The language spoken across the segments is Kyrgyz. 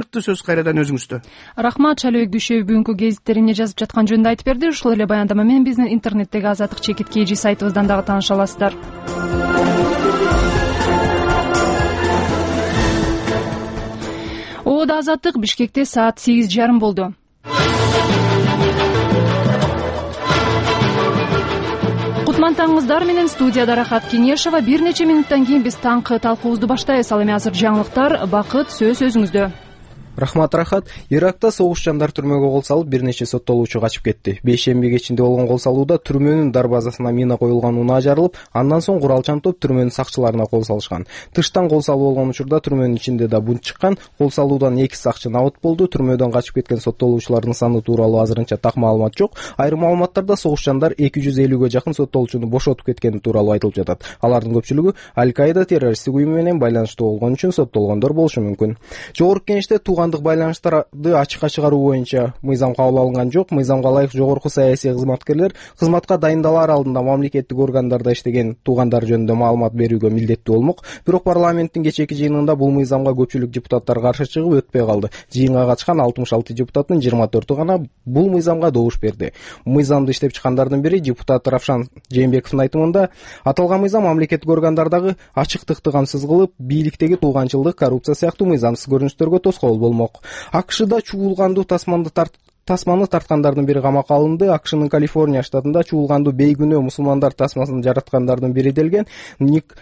сыяктуу сөз кайрадан өзүңүздө. Рахмат. Шалыбек Дүйшөбү бүгүнкү гезитте эмне жазып жаткан жөнүндө айтып берди. Ушул эле баяндама менен биздин интернеттеги Азаттык чекит KG сайтыбыздан дагы тааныша аласыздар. Оода Азаттык. Бишкекте саат 8:30 болду. Кутман таңыңыздар менен студияда Рахат Кеңешова. Бир нече минуттан кийин биз таңкы талкуубузду баштайбыз. Ал эми азыр жаңылыктар. Бакыт, сөз өзүңүздө. Рахмат, Рахат. Иракта согуш жандар түрмөгө кол салып, бир нече соттолуучу качып кетти. Бейшемби кечинде болгон кол салууда түрмөнүн дарбазасына мина коюлган унаа жарылып, андан соң куралчан топ түрмөнүн сакчыларына кол салышкан. Тыштан кол салуу болгон учурда түрмөнүн ичинде да бунт чыккан. Кол салуудан 2 сакчы набыт болду. Түрмөдөн качып кеткен соттолуучулардын саны тууралуу азырынча так маалымат жок. Айрым маалыматтарда согуш жандар 250ге жакын соттолуучуну бошотуп кеткени тууралуу айтылып жатат. Алардын көпчүлүгү Аль-Каида террористтик уюму менен байланыштуу болгон үчүн соттолгондор болушу мүмкүн. Жогорку Кеңеште байланыштарды ачыкка чыгаруу боюнча мыйзам кабыл алынган жок. Мыйзамга ылайык жогорку саясий кызматкерлер кызматка дайындалар алдында мамлекеттик органдарда иштеген туугандар жөнүндө маалымат берүүгө милдеттүү болмок. Бирок парламенттин кечээки жыйынында бул мыйзамга көпчүлүк депутаттар каршы чыгып өтпөй калды. Жыйынга катышкан 66 депутаттын 24-ü гана бул мыйзамга добуш берди. Мыйзамды иштеп чыккандардын бири депутат Равшан Жээнбековдун айтымында, аталган мыйзам мамлекеттик органдардагы ачыктыкты камсыз кылып, бийликтеги тууганчылдык, коррупция сыяктуу мыйзамсыз көрүнүштөргө тоскоол болмок. АКШда чуулгандуу тасманы тарткандардын бири камакка алынды. АКШнын Калифорния штатында чуулгандуу бейгүнөө мусулмандар тасмасын жараткандардын бири делген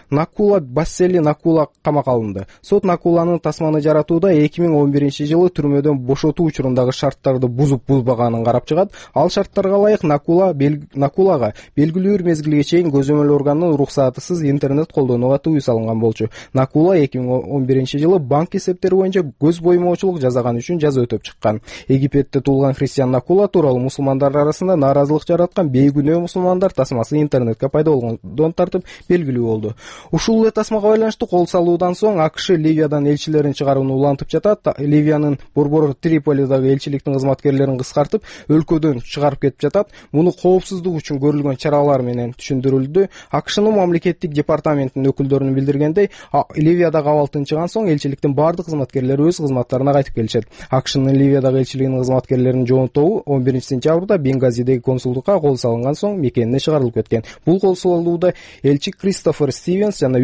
Накула Бассели Накула камакка алынды. Сот Накуланын тасманы жаратууда 2011-жылы түрмөдөн бошотуу учурундагы шарттарды бузуп-бузбаганын карап чыгат. Ал шарттарга ылайык Накулага белгилүү бир мезгилге чейин көзөмөл органынын уруксатысыз интернет колдонууга тыюу салынган болчу. Накула 2011-жылы банк эсептери боюнча көз боймоочулук жасаган үчүн жаза өтөп чыккан. Египетте туулган христиан Накула тууралуу мусулмандар арасында нааразылык жараткан бейгүнөө мусулмандар тасмасы интернетке пайда болгондон тартып белгилүү болду. Ушул эле тасмага байланыштуу кол салуудан соң АКШ Ливиядан элчилерин чыгарууну улантып жатат. Ливиянын борбор Триполидагы элчиликтин кызматкерлерин кыскартып, өлкөдөн чыгарып кетип жатат. Муну коопсуздук үчүн көрүлгөн чаралар менен түшүндүрүлдү. АКШнын мамлекеттик департаментинин өкүлдөрүнүн билдиргендей, Ливиядагы абал тынчыган соң элчиликтин бардык кызматкерлери өз кызматтарына кайтып келишет. АКШнын Ливиядагы элчилигинин кызматкерлеринин жоон тобу 11-сентябрда Бенгазидеги консулдукка кол салынган соң мекенине чыгарылып кеткен. Бул кол салууда элчи Кристофер Стивенс жана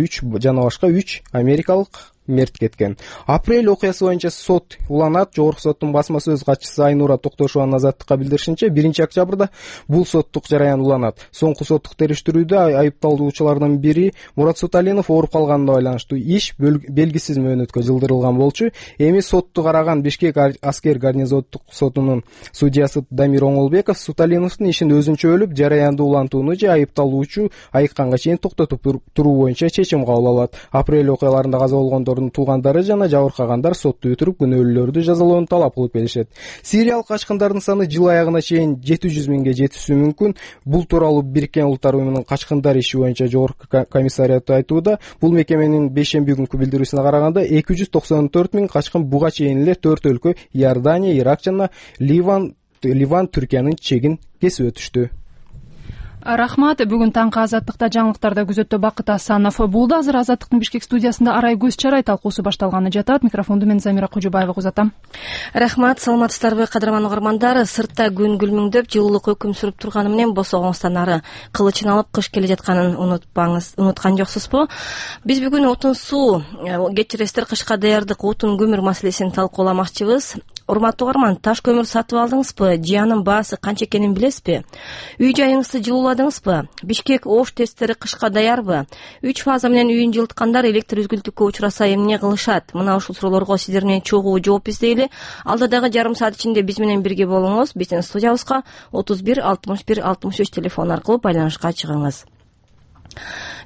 башка 3 америкалык мерт кеткен. Апрель окуясы боюнча сот уланат. Жогорку соттун басма сөз катчысы Айнура Токтошованын Азаттыкка билдиришинче, 1-октябрда бул соттук жараян уланат. Соңку соттук териштирүүдө айыпталуучулардын бири Мурат Суталинов ооруп калганына байланыштуу иш белгисиз мөөнөткө жылдырылган болчу. Эми сотту караган Бишкек аскер гарнизондук сотунун судьясы Дамир Оңолбеков Суталиновдун ишин өзүнчө бөлүп, жараянды улантууну же айыпталуучу айыкканга чейин токтотуп туруу боюнча чечим кабыл алат. Апрель окуяларында каза болгондор туугандары жана жабыркагандар сотту бүтүрүп күнөөлүүлөрдү жазалоону талап кылып келишет. Сириялык качкындардын саны жыл аягына чейин 700 миңге жетиши мүмкүн. Бул тууралуу Бириккен Улуттар уюмунун качкындар иши боюнча жогорку комиссариаты айтууда. Бул мекеменин бейшемби күнкү билдирүүсүнө караганда 294 миң качкын буга чейин эле 4 өлкө Иордания, Ирак жана Ливан, Түркиянын чегин кесип өтүштү. Рахмат. Бүгүн таңкы Азаттыкта жаңылыктарда күзөттө Бакыт Асанов болду. Азыр Азаттыктын Бишкек студиясында Арай көз чарай талкуусу башталганы жатат. Микрофонду мен Замира Кожобаева узатам. Рахмат. Саламатсыздарбы, кадырман угармандар. Сыртта күн күлмүңдөп, жылуулук өкүм сүрүп турганы менен босогоңуздан ары кылычын алып кыш келе жатканын унуткан жоксузбу? Биз бүгүн отун суу, кечиресиздер, кышка даярдык, отун көмүр маселесин талкууламакчыбыз. Урматтуу угарман, таш көмүр сатып алдыңызбы? Жыянын баасы канча экенин билесизби? Үй жайыңызды жылууладыңызбы? Бишкек ош тесттери кышка даярбы? 3 фаза менен үйүн жылыткандар электр үзгүлтүккө учураса эмне кылышат? Мына ушул суроолорго сиздер менен чогуу жооп издейли. Алда дагы жарым саат ичинде биз менен бирге болуңуз. Биздин студиябызга 31 61 63 телефон аркылуу байланышка чыгыңыз.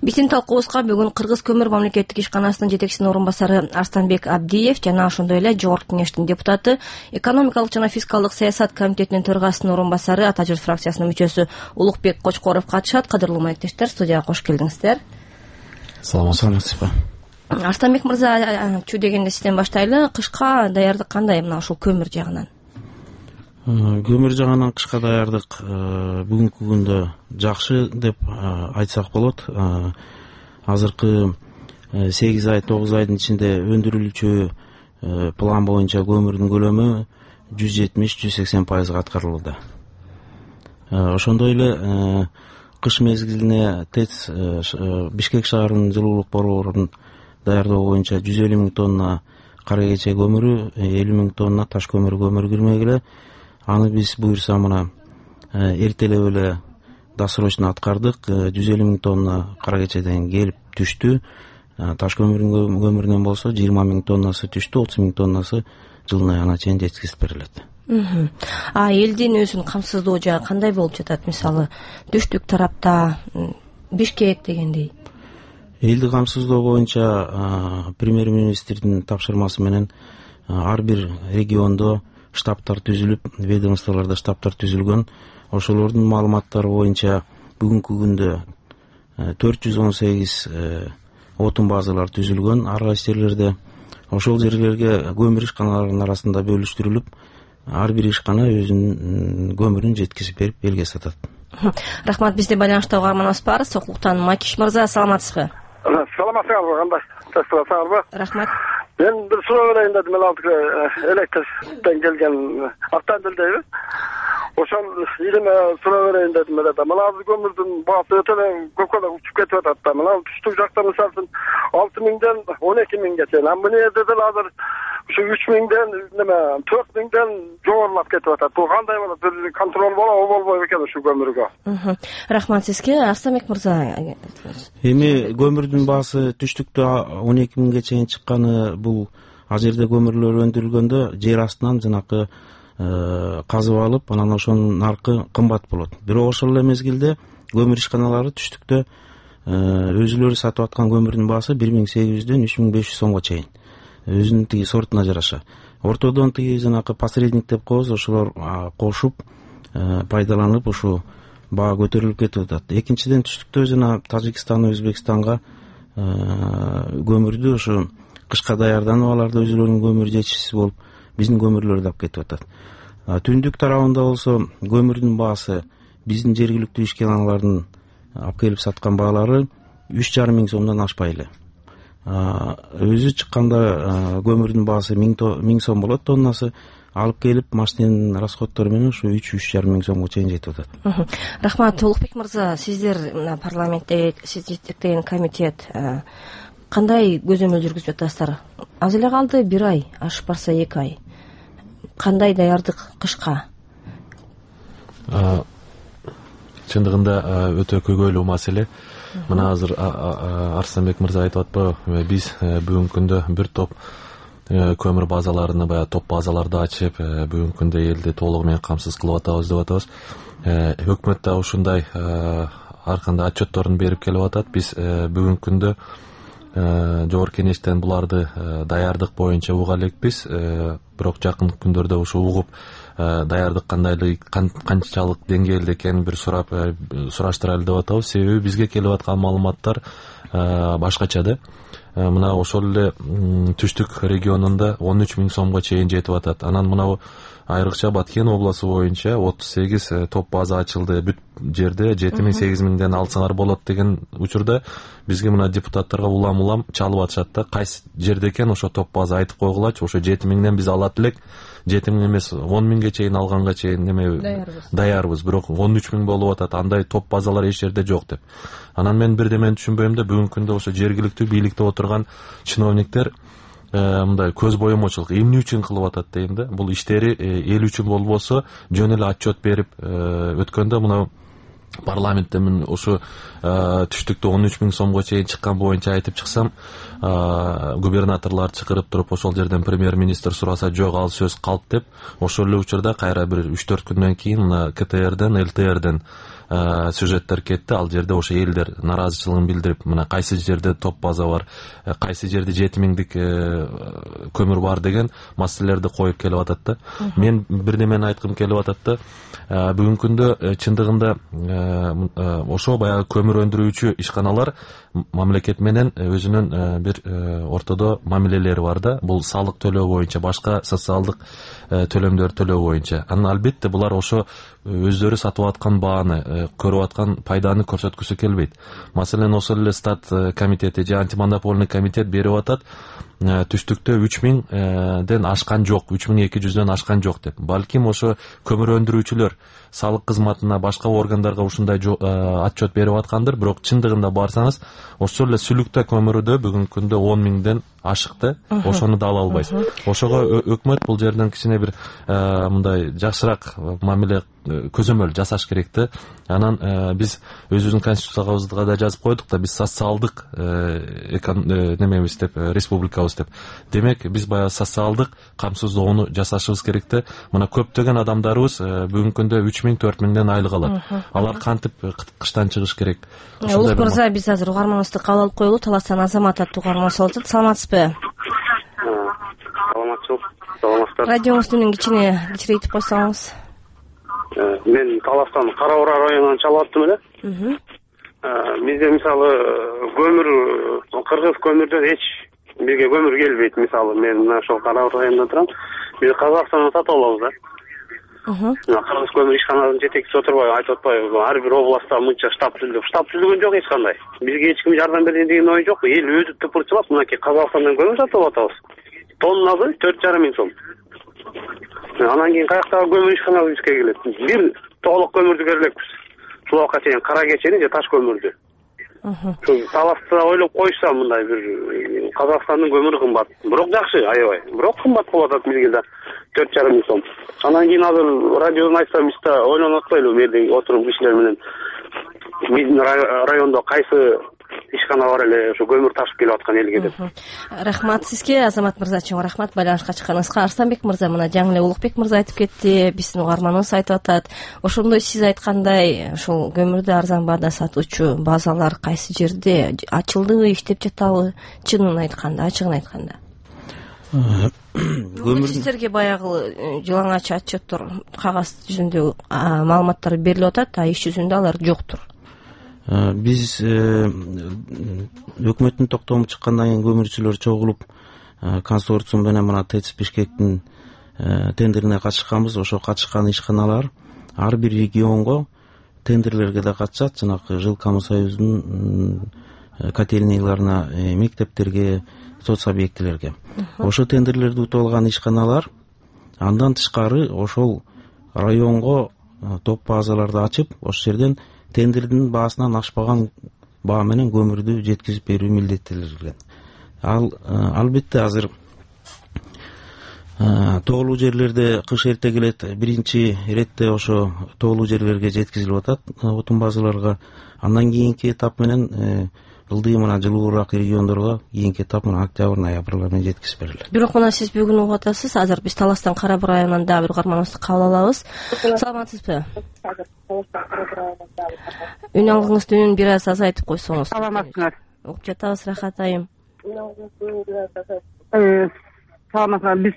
Биздин талкуубузга бүгүн Кыргыз көмүр мамлекеттик ишканасынын жетекчисинин орун басары Арстанбек Абдиев жана ошондой эле Жогорку Кеңештин депутаты, экономикалык жана фискалдык саясат комитетинин төрагасынын орун басары, Ата журт фракциясынын мүчөсү Улукбек Кочкоров катышат. Кадырлуу маектештер, студияга кош келиңиздер. Саламатсызбы? Арстанбек мырза, чү дегенде сизден баштайлы. Кышка даярдык кандай мына ушул көмүр жагынан? Көмүр жагынан кышка даярдык бүгүнкү күндө жакшы деп айтсак болот. Азыркы 8 ай 9 айдын ичинде өндүрүлүүчү план боюнча көмүрдүн көлөмү 170-180% аткарылууда. Ошондой эле кыш мезгилине ТЭЦ Бишкек шаарынын жылуулук борборунун даярдоо боюнча 150 000 тонна кара кече көмүрү, 50 000 тонна таш көмүрү кирмегиле. Аны биз буюрса мына эртелеп эле досрочно аткардык. 150 000 тонна кара кечеден келип түштү. Таш көмүрүнөн болсо 20 000 тоннасы түштү, 30 000 тоннасы жылына ана чейин жеткизип берилет. Элдин өзүнүн камсыздоо жагы кандай болуп жатат? Мисалы, түштүк тарапта, Бишкек дегендей. Элди камсыздоо боюнча премьер-министрдин тапшырмасы менен ар бир региондо штабтар түзүлүп, ведомстволордо штабтар түзүлгөн. Ошолордун маалыматтары боюнча бүгүнкү күндө 418 отун базалар түзүлгөн ар кайсы жерлерде. Ошол жерлерге көмүр ишканаларынын арасында бөлүштүрүлүп, ар бир ишкана өзүнүн көмүрүн жеткизип берип элге сатат. Рахмат, бизде байланышта угарманыбыз бар. Сокулуктан Макиш мырза, саламатсызбы? Саламатсызбы, кандай? Tasdiqlasаңызбы? Рахмат. Ben bir soru vereyim dedim. Elektrikten gelgen avtomobildeyim. Oşan ilime soru vereyim dedim. Mınazı gömürdüm. Bazı ötele kökada uçup ketip hatta. Mınazı düştük jakta misalsın 6 000'den 12 000 geçen. Bu ne dediler hazır şu 3 000'den 4 000'den joğurlap ketip hatta. Bu kanday var? Bir kontrol bola o bolboy eкен şu gömürgө. Рахмат сизге. Арсанбек мырза. Эми көмүрдүн баасы түштүктө 12 000ге чейин чыкканы бул ал жерде көмүрлөр өндүрүлгөндө жер астынан жанакы казып алып, анан ошонун наркы кымбат болот. Бирок ошол эле мезгилде көмүр ишканалары түштүктө өзүлөрү сатып аткан көмүрдүн баасы 1800дөн 3500 сомго чейин. Өзүнүн тиги сортуна жараша. Ортодон тиги жанакы посредник деп коебуз, ошолор кошуп пайдаланып ушу баа көтөрүлүп кетип атат. Экинчиден түштүктө жана Тажикстан, Өзбекстанга көмүрдү ошо кышка даярданып аларды өзүлөрүнүн көмүр жетишсиз болуп, биздин көмүрлөрдү алып кетип атат. Түндүк тарабында болсо көмүрдүн баасы биздин жергиликтүү ишканалардын алып келип саткан баалары 3,5 000 сомдон ашпай эле. Өзү чыкканда көмүрдүн баасы 1000 сом болот тоннасы, алып келип машинанын расходтору менен ушу 3,5 000 сомго чейин жетип атат. Рахмат, Улукбек мырза, сиздер парламентте сиз жетектеген комитет кандай көзөмөл жүргүзүп жатасыздар? Аз эле калды 1 ай, ашып барса 2 ай. Кандай даярдык кышка? Чындыгында өтө көйгөйлүү маселе. Мына азыр Арсанбек мырза айтып атпайбы, биз бүгүнкү күндө бир топ көмүр базаларыны, баягы топ базаларды ачып, бүгүнкү күндө элди толугу менен камсыз кылып атабыз деп атабыз. Өкмөт да ушундай ар кандай отчетторун берип келип атат. Биз бүгүнкү күндө жогорку кеңештен буларды даярдык боюнча уга элекпиз. Бирок жакын күндөрдө ушу угуп даярдык канчалык деңгээлде экенин бир сураштыралы деп атабыз. Себеби бизге келип аткан маалыматтар башкача да. Мына ошол эле түштүк регионунда 13 000 сомго чейин жетип атат. Анан мына айрыкча Баткен обласу боюнча 38 топ база ачылды. Бүт жерде 7 000 8 000ден алсаңар болот деген учурда бизге мына депутаттарга улам чалып атышат да. Кайсы жерде экен ошо топ база айтып койгулачы, ошо 7 000ден биз алат элек. 7 000 эмес 10 000ге чейин алганга чейин даярбыз. Бирок 13 000 болуп атат. Андай топ базалар эч жерде жок деп. Анан мен бирдемени түшүнбөйм да, бүгүнкү күндө ошо жергиликтүү бийликте отурган чиновниктер мындай көз боемочулук эмне үчүн кылып атат дейм да. Бул иштери эл үчүн болбосо жөн эле отчет берип өткөндө мына парламентте мен ушу түштүктө 13 000 сомго чейин чыккан боюнча айтып чыксам, губернаторлор чакырып туруп ошол жерден премьер-министр сураса жок, ал сөз калп деп, ошол эле учурда кайра бир 3-4 күндөн кийин мына КТРден, ЛТРден сюжеттер кетти. Ал жерде ошо элдер наразычылыгын билдирип, мына кайсы жерде топ база бар, кайсы жерде 7 000дик көмүр бар деген маселелерди коюп келип атат да. Мен бирдемени айткым келип атат да. Бүгүнкү күндө чындыгында ошо баягы көмүр өндүрүүчү ишканалар мамлекет менен өзүнүн бир ортодо мамилелери бар да. Бул салык төлөө боюнча, башка социалдык төлөмдөр төлөө боюнча. Анан албетте булар ошо өздөрү сатып аткан бааны көрүп аткан пайданы көрсөткүсү келбейт. Маселен ошол эле стат комитети же антимонопольный комитет берип атат түштүктө 3000ден ашкан жок, 3200дөн ашкан жок деп. Балким ошо көмүр өндүрүүчүлөр салык кызматына, башка органдарга ушундай отчет берип аткандыр, бирок чындыгында барсаңыз ошол эле сүлүктө көмүрдө бүгүнкү күндө 10.000ден ашык да, ошону да ала албайсыз. Ошого өкмөт бул жерден кичине бир мындай жакшыраак мамиле көзөмөл жасаш керек да. Анан биз өзүбүздүн конституциябызга да жазып койдук да, биз социалдык немебиз деп, республикабыз деп. Демек биз баягы социалдык камсыздоону жасашыбыз керек да. Мына көптөгөн адамдарыбыз бүгүнкү күндө 3000-4000ден айлык алат. Алар кантип кыштан чыгыш керек? Улук мырза, биз азыр угарманыбызды кабыл алып коелу. Таластан Азамат аттуу угарманыбыз болуп атат. Саламатсызбы? Саламатсызбы. Радиоңузду кичирейтип койсоңуз. Мен Таластан Кара Бура районунан чалып аттым эле. Бизде мисалы көмүр, кыргыз көмүрдөн эч бизге көмүр келбейт. Мисалы мен мына ошол Кара Бура районунда турам. Биз Казакстандан сатып алабыз да. Кыргыз көмүр ишканасынын жетекчиси отурбайбы, айтып атпайбы, ар бир областта мынча штаб түзүлгөн жок эч кандай. Бизге эч ким жардам берген деген ой жок. Эл өзү тыпырчылап мынакей Казакстандан көмүр сатып атабыз. Тоннасы 4,5 миң сом. Анан кийин каяктагы көмүр ишканасы бизге келет. Бир тоолук көмүрдү бере элекпиз. Сулакка чейин кара кечени же таш көмүрдү. Таласта ойлоп койсо мындай бир Казакстандын көмүрү кымбат. Бирок жакшы, аябай. Бирок кымбат болуп атат бизге да 4,5 миң сом. Анан кийин азыр радиодон айтсам, биз да ойлонуп атпайлыбы, бу жерде отуруп кишилер менен биздин райондо кайсы ишкана бар эле ошо көмүр ташып келип аткан элге деп. Рахмат сизге, Азамат мырза, чоң рахмат байланышка чыкканыңызга. Арстанбек мырза, мына жаңы эле Улукбек мырза айтып кетти, биздин угарманыбыз айтып атат. Ошондой сиз айткандай, ошол көмүрдү арзан баада сатуучу базалар кайсы жерде ачылдыбы, иштеп жатабы? Чынын айтканда, ачыгын айтканда. Сиздерге баягы жылаңач отчеттор кагаз жүзүндө маалыматтар берилип атат, а иш жүзүндө алар жоктур. Биз өкмөттүн токтому чыккандан кийин көмүрчүлөр чогулуп консорциум менен мына ТЭЦ Бишкектин тендерине катышканбыз. Ошо катышкан ишканалар ар бир регионго тендерлерге да катышат. Жанагы Жилкамы союздун котельнияларына, мектептерге, соц объектилерге. Ошо тендерлерди утуп алган ишканалар андан тышкары ошол районго топ базаларды ачып, ошол жерден тендердин баасынан ашпаган баа менен көмүрдү жеткизип берүү милдеттелген. Албетте азыр тоолуу жерлерде кыш эрте келет, биринчи иретте ошо тоолуу жерлерге жеткизилип атат отун базаларга. Андан кийинки этап менен ылдый мына жылуураак региондорго кийинки этап мына октябрь, ноябрлар менен жеткизип берилет. Бирок мына сиз бүгүн угуп атасыз, азыр биз Таластан Кара Бура районунан дагы бир угарманыбызды кабыл алабыз. Саламатсызбы? Үн алгыңызды үнүн бир аз азайтып койсоңуз. Саламатсыңар. Угуп жатабыз, рахат айым. Саламатсыңар. Биз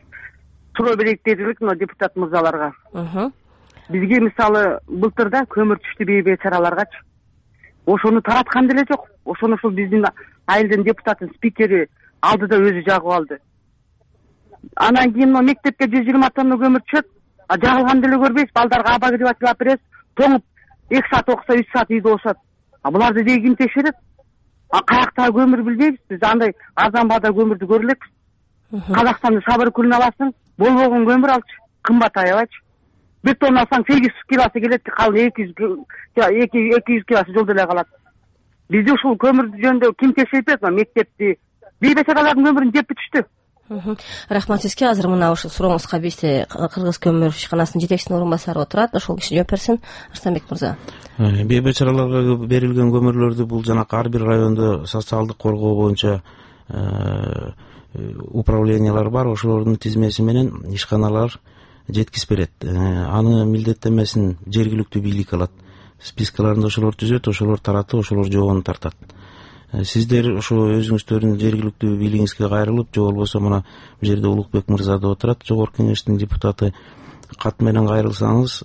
суроо берейик дедик мына депутат мырзаларга. Бизге мисалы былтырда көмүр түштү бейбечараларгачы. Ошону тараткан деле жок. Ошону ушул биздин айылдын депутаттын спикери алды да өзү жагып алды. Анан кийин мектепке 120 тонна көмүр түшөт, жагылган деле көрбөйбүз. Балдарга обогреватель алып беребиз. Тоңуп 2 саат окуса 3 саат үйдө болушат. Буларды деги ким текшерет? Каяктагы көмүр билбейбиз. Биз андай арзан баада көмүрдү көрө элекпиз. Казакстандын сабыр күлүн аласың, болбогон көмүр алчы, кымбат аябайчы. Bir ton alsang 800 kilosu gelet, kalın 200 kilosu жолдо эле калат. Бизде ушул көмүр жөнүндө ким текшерип берет? Мектепти, бейбечаралардын көмүрүн жеп бүтүштү. Рахмат сизге. Азыр мына ушул сурооңузга бизде Кыргыз көмүр ишканасынын жетекчисинин орун басары отурат. Ошол киши жооп берсин. Арстанбек мырза. Бейбечараларга берилген көмүрлөрдү бул жанакы ар бир райондо социалдык коргоо боюнча управлениялар бар. Ошолордун тизмеси менен ишканалар жеткизип берет. Аны милдеттенмесин жергиликтүү бийлик алат. Спискаларында ошолор түзөт, ошолор таратып, ошолор жообун тартат. Сиздер ошо өзүңүздөрдүн жергиликтүү бийлигиңизге кайрылып, же болбосо мына бул жерде Улукбек мырза да отурат, жогорку кеңештин депутаты, кат менен кайрылсаңыз,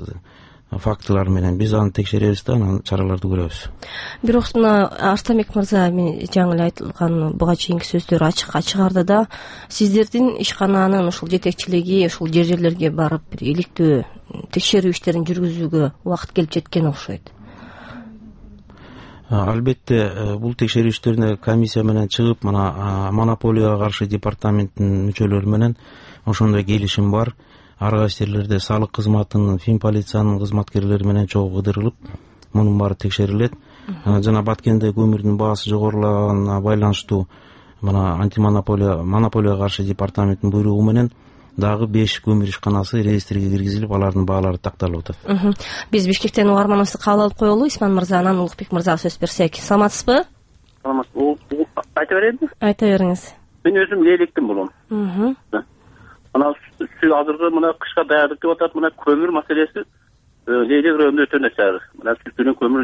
фактылар менен биз аны текшеребиз да, анан чараларды көрөбүз. Бирок мына Арстанбек мырза жаңы эле айтылган буга чейинки сөздөр ачык арды да, сиздердин ишкананын ушул жетекчилиги ушул жерлерге барып бир иликтөө текшерүү иштерин жүргүзүүгө убакыт келип жеткен окшойт. Албетте бул текшерүүчүлөрүнө комиссия менен чыгып, мына монополияга каршы департаменттин мүчөлөрү менен ошондой келишим бар. Ар кайсы жерлерде салык кызматынын, фин полициянын кызматкерлери менен чогуу кыдырылып, мунун баары текшерилет. Жана Баткенде көмүрдүн баасы жогорулаганына байланыштуу мына монополияга каршы департаменттин буйругу менен дагы 5 көмүр ишканасы реестрге киргизилип, алардын баалары такталып атат. Биз Бишкектен Угар Манасты кабыл алып коелу. Исман мырза, анан Улукбек мырзага сөз берсек. Саламатсызбы? Айта берейинби? Айта бериңиз. Мен өзүм электим болом. Мына азыркы мына кышка даярдык деп атат. Мына көмүр маселеси Лейлек районунда өтө начар. Мына сүттүнүн көмүр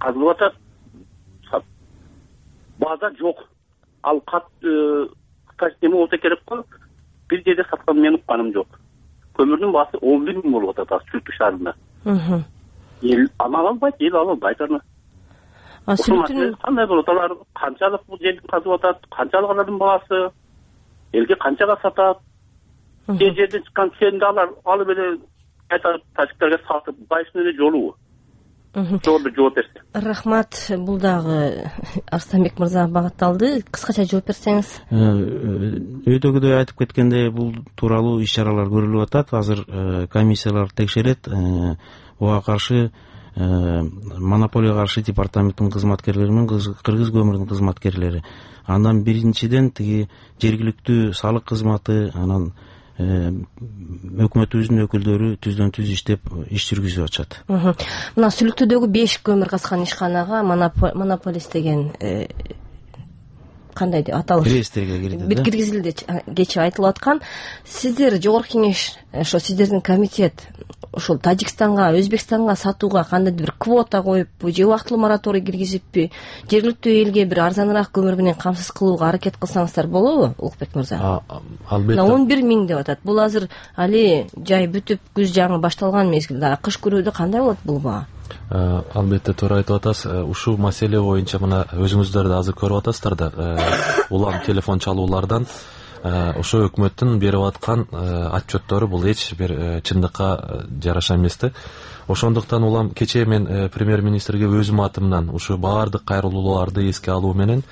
казылып атат. База жок. Ал кат неме болсо керек го. Бир жерде саткан мен укканым жок. Көмүрдүн баасы 11 000 болуп атат Сүттү шаарында. Эл ала албайт, эл ала албайт аны. Сүттүн кандай болот? Алар канчалык бул жерди казып атат, канчалык алардын баасы, элге канчага сатат? Кээ жерден чыккан сенди алар алып эле кайта тажиктерге сатып, кайсынын эле жолу. Жолду жооп берсе. Рахмат. Бул дагы Арстанбек мырзага багытталды. Кыскача жооп берсеңиз. Өйдөгүдөй айтып кеткендей, бул тууралуу иш-чаралар көрүлүп атат. Азыр комиссиялар текшерет. Буга каршы монополияга каршы департаменттин кызматкерлери менен Кыргыз көмүрүнүн кызматкерлери. Андан биринчиден тиги жергиликтүү салык кызматы, анан өкмөтүбүздүн өкүлдөрү түздөн-түз иштеп иш жүргүзүп атышат. Мына Сүлүктүүдөгү 5 көмүр казган ишканага монополист деген кандай деп аталат? Реестрге кирди. Киргизилди кечээ айтылып аткан. Сиздер жогорку кеңеш, ошо сиздердин комитет ушул Тажикстанга, Өзбекстанга сатууга кандайдыр бир квота коюппу же убактылуу мораторий киргизиппи, жергиликтүү элге бир арзаныраак көмүр менен камсыз кылууга аракет кылсаңыздар болобу, Улукбек мырза? Албетте. 11 000 деп атат. Бул азыр али жай бүтүп, күз жаңы башталган мезгилде, кыш көрүүдө кандай болот бул баа? Албетте туура айтып атасыз. Ушул маселе боюнча мына өзүңүздөр да азыр көрүп атасыздар да, улам телефон чалуулардан ошо өкмөттүн берип аткан отчеттору бул эч бир чындыкка жараша эмес да. Ошондуктан улам кечээ мен премьер-министрге өзүм атымдан ушу баардык кайрылууларды эске алуу менен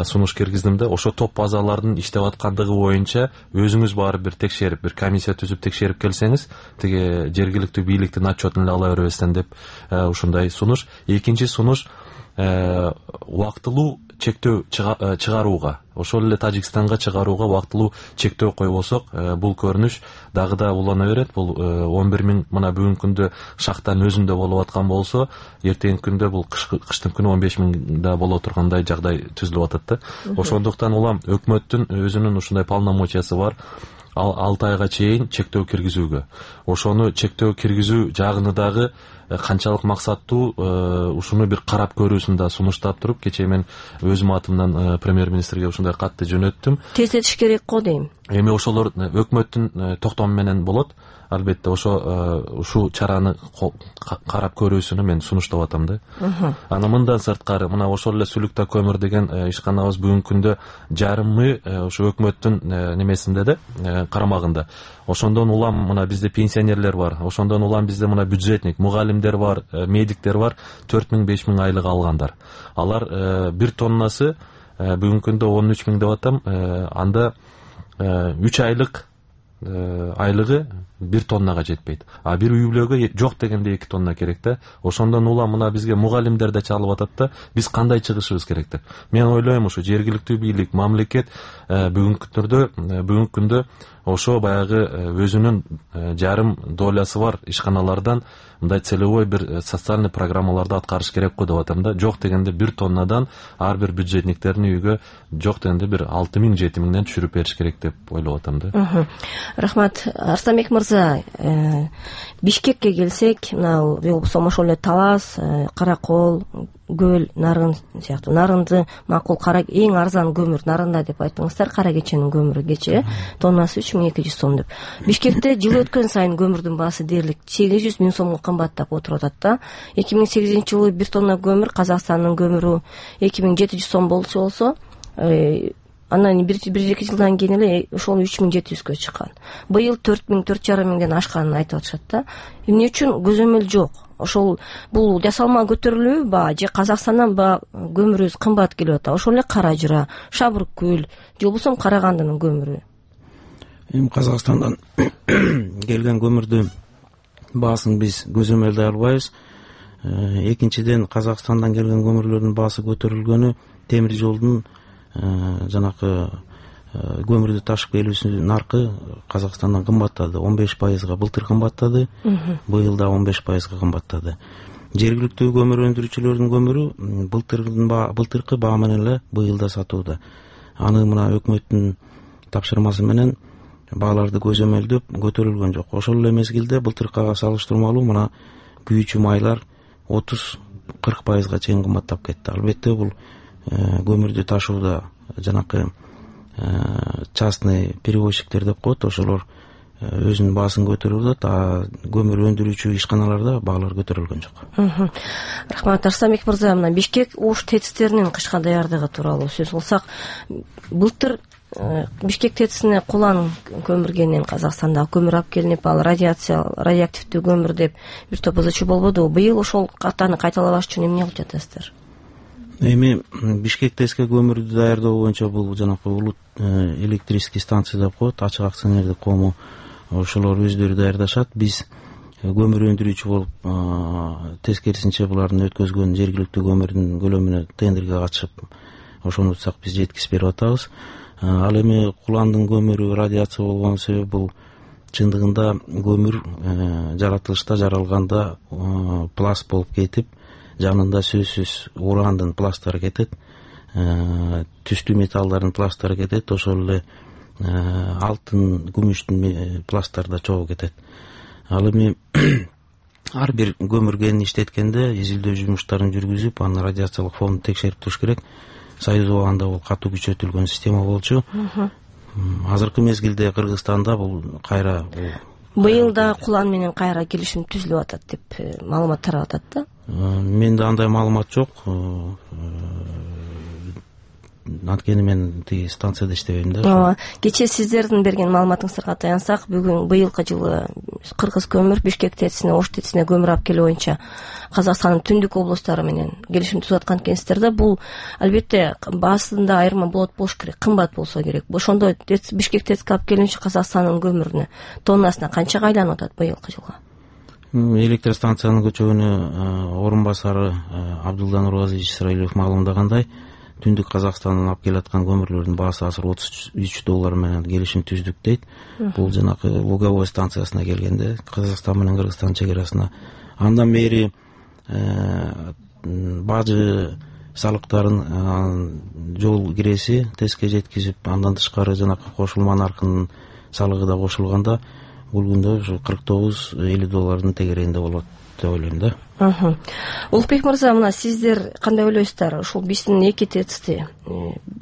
сунуш киргиздим да. Ошо топ базалардын иштеп аткандыгы боюнча өзүңүз барып бир текшерип, бир комиссия түзүп текшерип келсеңиз, тиги жергиликтүү бийликтин отчетун эле ала бербестен деп ушундай сунуш. Экинчи сунуш убактылуу чектөө чыгарууга, ошол эле Тажикстанга чыгарууга убактылуу чектөө койбосок, бул көрүнүш дагы да улана берет. Бул 11 000 мына бүгүнкү күндө шахтанын өзүндө болуп аткан болсо, эртеңки күндө бул кыштын күнү 15 000 да боло тургандай жагдай түзүлүп атат да. Ошондуктан улам өкмөттүн өзүнүн ушундай полномочиясы бар. 6 айга чейин чектөө киргизүүгө. Ошону чектөө киргизүү жагыны дагы канчалык максаттуу ушуну бир карап көрүүсүн да сунуштап туруп, кечээ мен өзүм атымдан премьер-министрге ушундай катты жөнөттүм. Тездетиш керек го дейм. Эми ошолор өкмөттүн токтому менен болот. Албетте ушул чараны карап көрүүсүнү мен сунуштап атам да. Анан мындан сырткары, мына ошол эле Сүлүктө көмүр деген ишканабыз бүгүнкү күндө жарымы ушу өкмөттүн немесинде да, карамагында. Ошондон улам мына бизде пенсионерлер бар. Ошондон улам бизде мына бюджетник, мугалимдер бар, медиктер бар, 4 000 5 000 айлык алгандар. Алар бир тоннасы бүгүнкү күндө 13 000 деп атам. Анда 3 айлык айлыгы 1 тоннага жетпейт. А бир үй бүлөгө жок дегенде 2 тонна керек да. Ошондон улам мына бизге мугалимдер да чалып атат да. Биз кандай чыгышыбыз керек деп. Мен ойлойм, ушу жергиликтүү бийлик, мамлекет бүгүнкү күндө ошо баягы өзүнүн жарым долясы бар ишканалардан мындай целевой бир социальный программаларды аткарыш керек го деп атам да. Жок дегенде 1 тоннадан ар бир бюджетниктердин үйгө жок дегенде бир 6 000 7 000ден түшүрүп бериш керек деп ойлоп атам да. Рахмат. Арстанбек мырза, Бишкекке келсек, мына ошол эле Талас, Каракол, Көл, Нарын сыяктуу Нарынды макул эң арзан көмүр Нарында деп айттыңыздар. Кара кеченин көмүрү кечээ тоннасы 3200 сом деп. Бишкекте жыл өткөн сайын көмүрдүн баасы дээрлик 800 000 сомго кымбаттап отуруп атат да. 2008 жылы 1 тонна көмүр, Казакстандын көмүрү 2700 сом болчу болсо, анан бир эки жылдан кийин эле ошол 3700гө чыккан. Быйыл 4000, 4500ден ашканын айтып атышат да. Эмне үчүн көзөмөл жок? Ошол бул жасалма көтөрүлүүбү же Казакстандан көмүрүбүз кымбат келип атат? Ошол эле Кара-Жыра, Шабыркөл же болбосо Карагандынын көмүрү. Эми Казакстандан келген көмүрдү баасын биз көзөмөлдөй албайбыз. Экинчиден, Казакстандан келген көмүрлөрдүн баасы көтөрүлгөнү темир жолдун жанакы көмүрдү ташып келүүсүнүн наркы Казакстандан кымбаттады. 15%га былтыр кымбаттады. Быйыл да 15%га кымбаттады. Жергиликтүү көмүр өндүрүүчүлөрдүн көмүрү былтыркы баа менен эле быйыл да сатууда. Аны мына өкмөттүн тапшырмасы менен бааларды көзөмөлдөп көтөрүлгөн жок. Ошол эле мезгилде былтыркыга салыштырмалуу мына күйүүчү майлар 30-40%га чейин кымбаттап кетти. Албетте бул көмүрдү ташууда жанакы частный перевозчиктер деп коет, ошолор өзүнүн баасын көтөрүп атат, а көмүр өндүрүүчү ишканаларда баалар көтөрүлгөн жок. Рахмат Арсланбек мырза. Мына Бишкек Ош ТЭЦтеринин кышка даярдыгы тууралуу сөз кылсак, былтыр Бишкек ТЭЦине кулан көмүргенин Казакстанда көмүр алып келинип, ал радиоактивдүү көмүр деп бир топ ызычуу болбодубу? Быйыл ошол катаны кайталабаш үчүн эмне кылып жатасыздар? Эми Бишкек ТЭЦке көмүрдү даярдоо боюнча бул жанакы улут электрический станция деп коет, ачык акционердик коому, ошолор өздөрү даярдашат. Биз көмүр өндүрүүчү болуп, тескерисинче булардын өткөзгөн жергиликтүү көмүрдүн көлөмүнө тендерге катышып, ошону утсак биз жеткизип берип атабыз. Ал эми куландын көмүрү радиация болгон себеби бул чындыгында көмүр жаратылышта жаралганда пласт болуп кетип, жанында сөзсүз урандын пласттары кетет, түстүү металлдардын пласттары кетет, ошол эле алтын, күмүштүн пласттары да чогуу кетет. Ал эми ар бир көмүр иштеткенде изилдөө жумуштарын жүргүзүп, анын радиациялык фонун текшерип туруш керек. Союз убагында бул катуу күчөтүлгөн система болчу. Азыркы мезгилде Кыргызстанда бул кайра быйыл да кулан менен кайра келишим түзүлүп атат деп маалымат тарап атат да. Менде андай маалымат жок. Анткени мен тиги станцияда иштебейм да. Кечээ сиздердин берген маалыматыңыздарга таянсак, быйылкы жылы Кыргыз көмүр Бишкек ТЭЦине, Ош ТЭЦине көмүр алып келүү боюнча Казакстандын түндүк облустары менен келишим түзүп аткан экенсиздер да. Бул албетте баасында айырма болуш керек, кымбат болсо керек. Ошондо Бишкек ТЭЦке алып келүүчү Казакстандын көмүрүнө тоннасына канчага айланып атат быйылкы жылга? Электростанциянын көчөгүнө орун басары Абдулла Нургазиевич Исраилов маалымдагандай, түндүк Казакстандан алып келаткан көмүрлөрдүн баасы азыр $33 менен келишим түздүк дейт. Бул жанакы Луговой станциясына келгенде, Казакстан менен Кыргызстан чегарасына. Андан бери бажы салыктарын жол киреси ТЭЦке жеткизип, андан тышкары жанакы кошулма наркынын салыгы да кошулганда, бул күндө ушу $49-50 тегерегинде болот деп ойлойм да. Улукбек мырза, мына сиздер кандай ойлойсуздар? Ушул биздин эки ТЭЦти,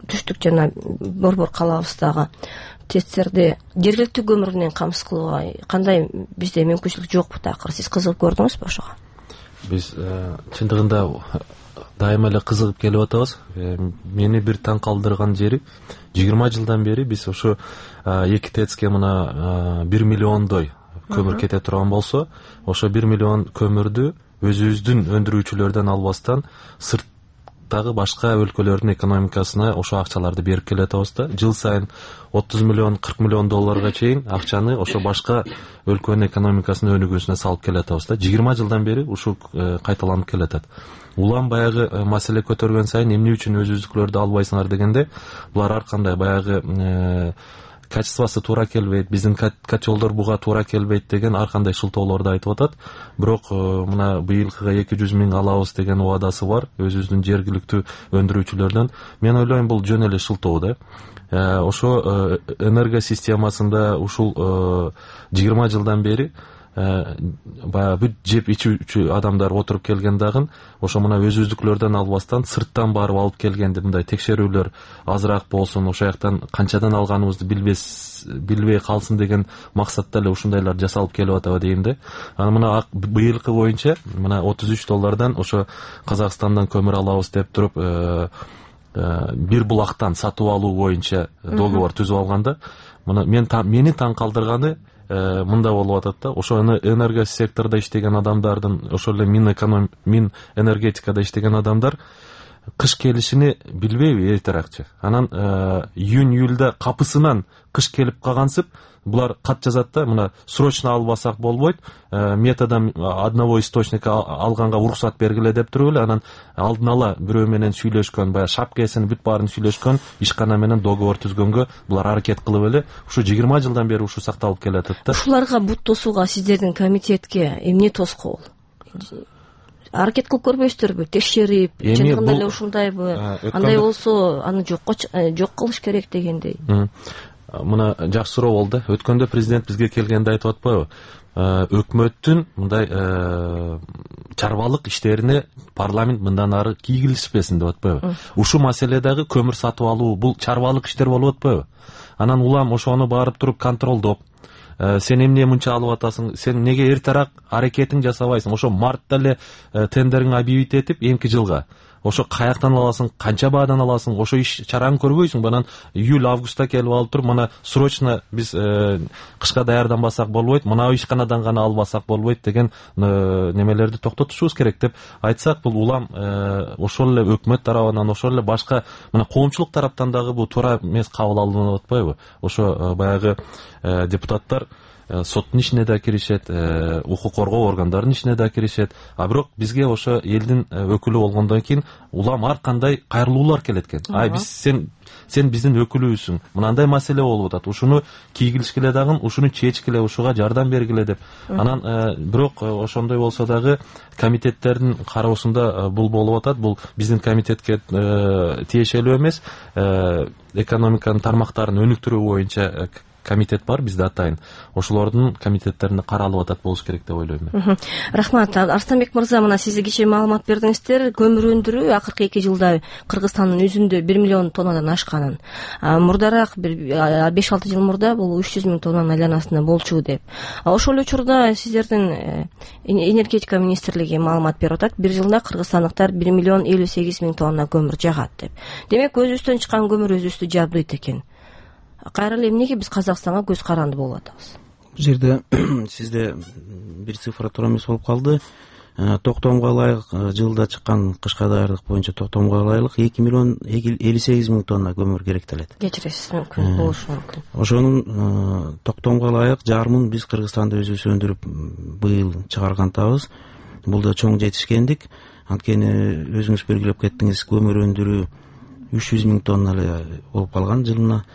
түштүк жана Борбор калабыздагы ТЭЦтерди жергиликтүү көмүр менен камсыз кылууга кандай бизде мүмкүнчүлүк жокпу такыр? Сиз кызыгып көрдүңүзбү ошого? Биз чындыгында дайыма эле кызыгып келип атабыз. Мени бир таң калтырган жери, 20 жылдан бери биз ошо эки ТЭЦке мына 1 миллиондой көмүр кете турган болсо, ошо 1 миллион көмүрдү өзүбүздүн өндүрүүчүлөрдөн албастан сырттагы башка өлкөлөрдүн экономикасына ошо акчаларды берип келатабыз да. Жыл сайын 30 миллион, 40 миллион долларга чейин акчаны ошо башка өлкөнүн экономикасынын өнүгүүсүнө салып келатабыз да. 20 жылдан бери ушул кайталанып келатат. Улам баягы маселе көтөргөн сайын эмне үчүн өзүбүздүкүлөрдү албайсыңар дегенде, булар ар кандай баягы качествосы туура келбейт, биздин котелдор буга туура келбейт деген ар кандай шылтоолорду айтып атат. Бирок мына быйылкыга 200 миң алабыз деген убадасы бар өзүбүздүн жергиликтүү өндүрүүчүлөрдөн. Мен ойлойм, бул жөн эле шылтоо да. Ошо энерго системасында ушул 20 жылдан бери баягы бүт жеп ичүүчү адамдар отуруп келген дагы, ошо мына өзүбүздүкүлөрдөн албастан сырттан барып алып келгенде мындай текшерүүлөр азыраак болсун, ошо жактан канчадан алганыбызды билбей калсын деген максатта эле ушундайлар жасалып келип атабы дейм да. Аны мына быйылкы боюнча мына $33 ошо Казакстандан көмүр алабыз деп туруп бир булактан сатып алуу боюнча договор түзүп алганда, мына мени таң калтырганы мында болуп атат да. Ошо энерго сектордо иштеген адамдардын, ошол эле мин энергетикада иштеген адамдар кыш келишини билбейби эртерээкчи. Анан июнь-июльда капысынан кыш келип калгансып, булар кат жазат да, мына срочно албасак болбойт, метадан одного источника алганга уруксат бергиле деп туруп эле, анан алдын ала бирөө менен сүйлөшкөн, баягы шапкасын бүт баарын сүйлөшкөн, ишкана менен договор түзгөнгө булар аракет кылып эле ушу 20 жылдан бери ушу сакталып келатат да. Ушуларга бут тосууга сиздердин комитетке эмне тоскоол? Аракет кылып көрбөйсүздөрбү? Текшерип, чындыгында эле ушундайбы? Андай болсо аны жок кылыш керек дегендей. Мына жакшы суроо болду. Өткөндө президент бизге келгенде айтып атпайбы? Өкмөттүн мындай чарбалык иштерине парламент мындан ары кийгилишпесин деп атпайбы? Ушу маселе дагы көмүр сатып алуу бул чарбалык иштер болуп атпайбы? Анан улам ошону барып туруп контролдоп, сен эмне мынча алып атасың, сен неге эртерээк аракетиң жасабайсың? Ошо мартта эле тендериңди объявить этип, эмки жылга ошо каяктан аласың, канча баадан аласың, ошо иш чараны көрбөйсүң. Анан июль-августта келип алып туруп, мына срочно биз кышка даярданбасак болбойт, мына ишканадан гана албасак болбойт деген немелерди токтотушубуз керек деп айтсак, бул улам ошол эле өкмөт тарабынан, ошол эле башка мына коомчулук тараптан дагы бул туура эмес кабыл алынып атпайбы? Ошо баягы депутаттар соттун ишине да киришет, укук коргоо органдарынын ишине да киришет. А бирок бизге ошо элдин өкүлү болгондон кийин улам ар кандай кайрылуулар келет экен. Биз сен биздин өкүлүбүзсүң, мынандай маселе болуп атат, ушуну кийгилишкиле дагы, ушуну чечкиле, ушуга жардам бергиле деп. Анан бирок ошондой болсо дагы комитеттердин кароосунда бул болуп атат. Бул биздин комитетке тиешелүү эмес. Экономиканын тармактарын өнүктүрүү боюнча комитет бар бизде атайын. Ошолордун комитеттеринде каралып атат болуш керек деп ойлойм мен. Рахмат. Арстанбек мырза, мына сиз кечээ маалымат бердиңиздер. Көмүр өндүрүү акыркы 2 жылда Кыргызстандын өзүндө 1 миллион тоннадан ашканын. Мурдараак 5-6 жыл мурда бул 300 миң тоннанын айланасында болчу деп. Ошол учурда сиздердин энергетика министрлиги маалымат берип атат. Bir жылда кыргызстандыктар 1 миллион 58 миң тонна көмүр жагат деп. Демек өзүбүздөн чыккан көмүр өзүбүздү жабдыйт экен. Кайра эле эмнеге биз Казакстанга көз каранды болуп атабыз? Бул жерде сизде бир цифра туура эмес болуп калды. Токтомго ылайык жылда чыккан кышка даярдык боюнча токтомго ылайык 2 миллион 58 миң тонна көмүр керектелет. Кечиресиз, мүмкүн болушу мүмкүн. Ошонун токтомго ылайык жарымын биз Кыргызстанда өзүбүз өндүрүп быйыл чыгаргантабыз. Бул да чоң жетишкендик. Анткени өзүңүз белгилеп кеттиңиз, көмүр өндүрүү 300 миң тонна эле болуп калган жылына.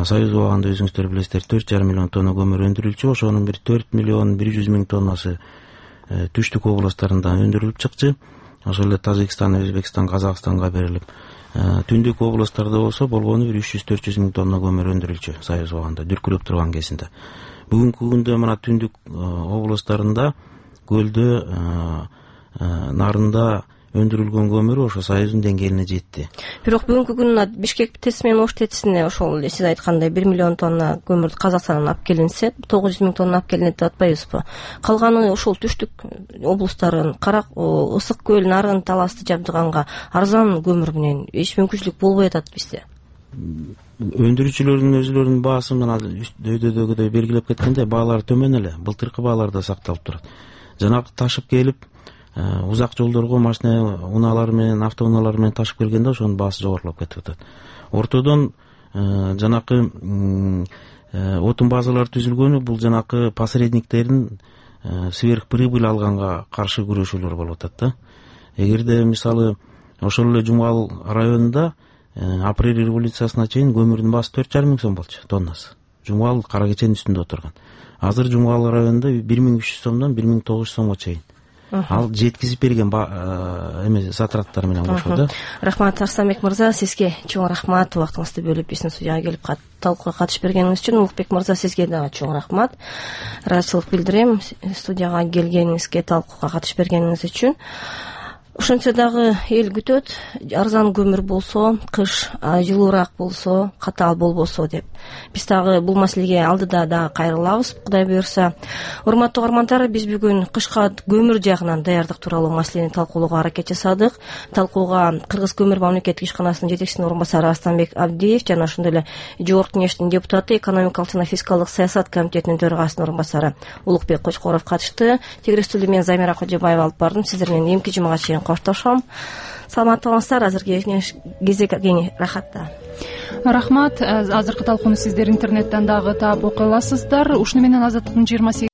Союз убагында өзүңүздөр билесиздер 4,5 миллион тонна көмүр өндүрүлчү. Ошонун бир 4 миллион 100 миң тоннасы түштүк областтарында өндүрүлүп чыкчы. Ошол эле Тажикстан, Өзбекстан, Казакстанга берилип, түндүк областтарда болсо болгону бир 300-400 миң тонна көмүр өндүрүлчү Союз убагында дүркүрөп турган кезинде. Бүгүнкү күндө мына түндүк областтарында көлдө, нарында өндүрүлгөн көмүр ошо Союздун деңгээлине жетти. Бирок бүгүнкү күнү Бишкек ТЭЦ менен Ош ТЭЦине ошол сиз айткандай 1 миллион тонна көмүр Казакстандан алып келинсе, 900 миң тонна алып келинет деп атпайбызбы? Калганы ошол түштүк облустарын, Ысык көл, Нарын, Таласты жабдыганга арзан көмүр менен эч мүмкүнчүлүк болбой атат бизде. Өндүрүүчүлөрдүн өзүлөрүнүн баасы мына дөйдөдөгүдөй белгилеп кеткендей, баалар төмөн эле, былтыркы бааларда сакталып турат. Жанагы ташып келип узак жолдорго машина унаалар менен, автоунаалар менен ташып келгенде ошонун баасы жогорулап кетип атат. Ортодон жанакы отун базалар түзүлгөнү бул жанакы посредниктердин сверхприбыль алганга каршы күрөшүүлөр болуп атат да. Эгерде мисалы ошол эле Жумгал районунда апрель революциясына чейин көмүрдүн баасы 4,5 миң сом болчу тоннасы. Жумгал кара кеченин үстүндө отурган. Азыр Жумгал районунда 1300 сомдон 1900 сомго чейин. Ал жеткизип берген затраттар менен кошо да. Рахмат Арстанбек мырза, сизге чоң рахмат убактыңызды бөлүп биздин студияга келип талкууга катышып бергениңиз үчүн. Улукбек мырза, сизге дагы чоң рахмат. Ыраазычылык билдирем студияга келгениңизге, талкууга катышып бергениңиз үчүн. ошентсе дагы эл күтөт, арзан көмүр болсо, кыш жылуураак болсо, катаал болбосо деп. Биз дагы бул маселеге алдыда дагы кайрылабыз, Кудай буюрса. Урматтуу угармандар, биз бүгүн кышка көмүр жагынан даярдык тууралуу маселени талкуулоого аракет жасадык. Талкууга Кыргыз көмүр мамлекеттик ишканасынын жетекчисинин орун басары Астанбек Абдиев жана ошондой эле Жогорку Кеңештин депутаты, экономикалык жана фискалдык саясат комитетинин төрагасынын орун басары Улукбек Кочкоров катышты. Тегерестүүлдү мен Замира Кожобаева алып бардым. Сиздер менен эмки жумага чейин коштошом. Саламатта болуңуздар. Азыркы кезек рахатта. Рахмат. Азыркы талкууну сиздер интернеттен дагы таап окуй аласыздар. Ушуну менен Азаттыктын 28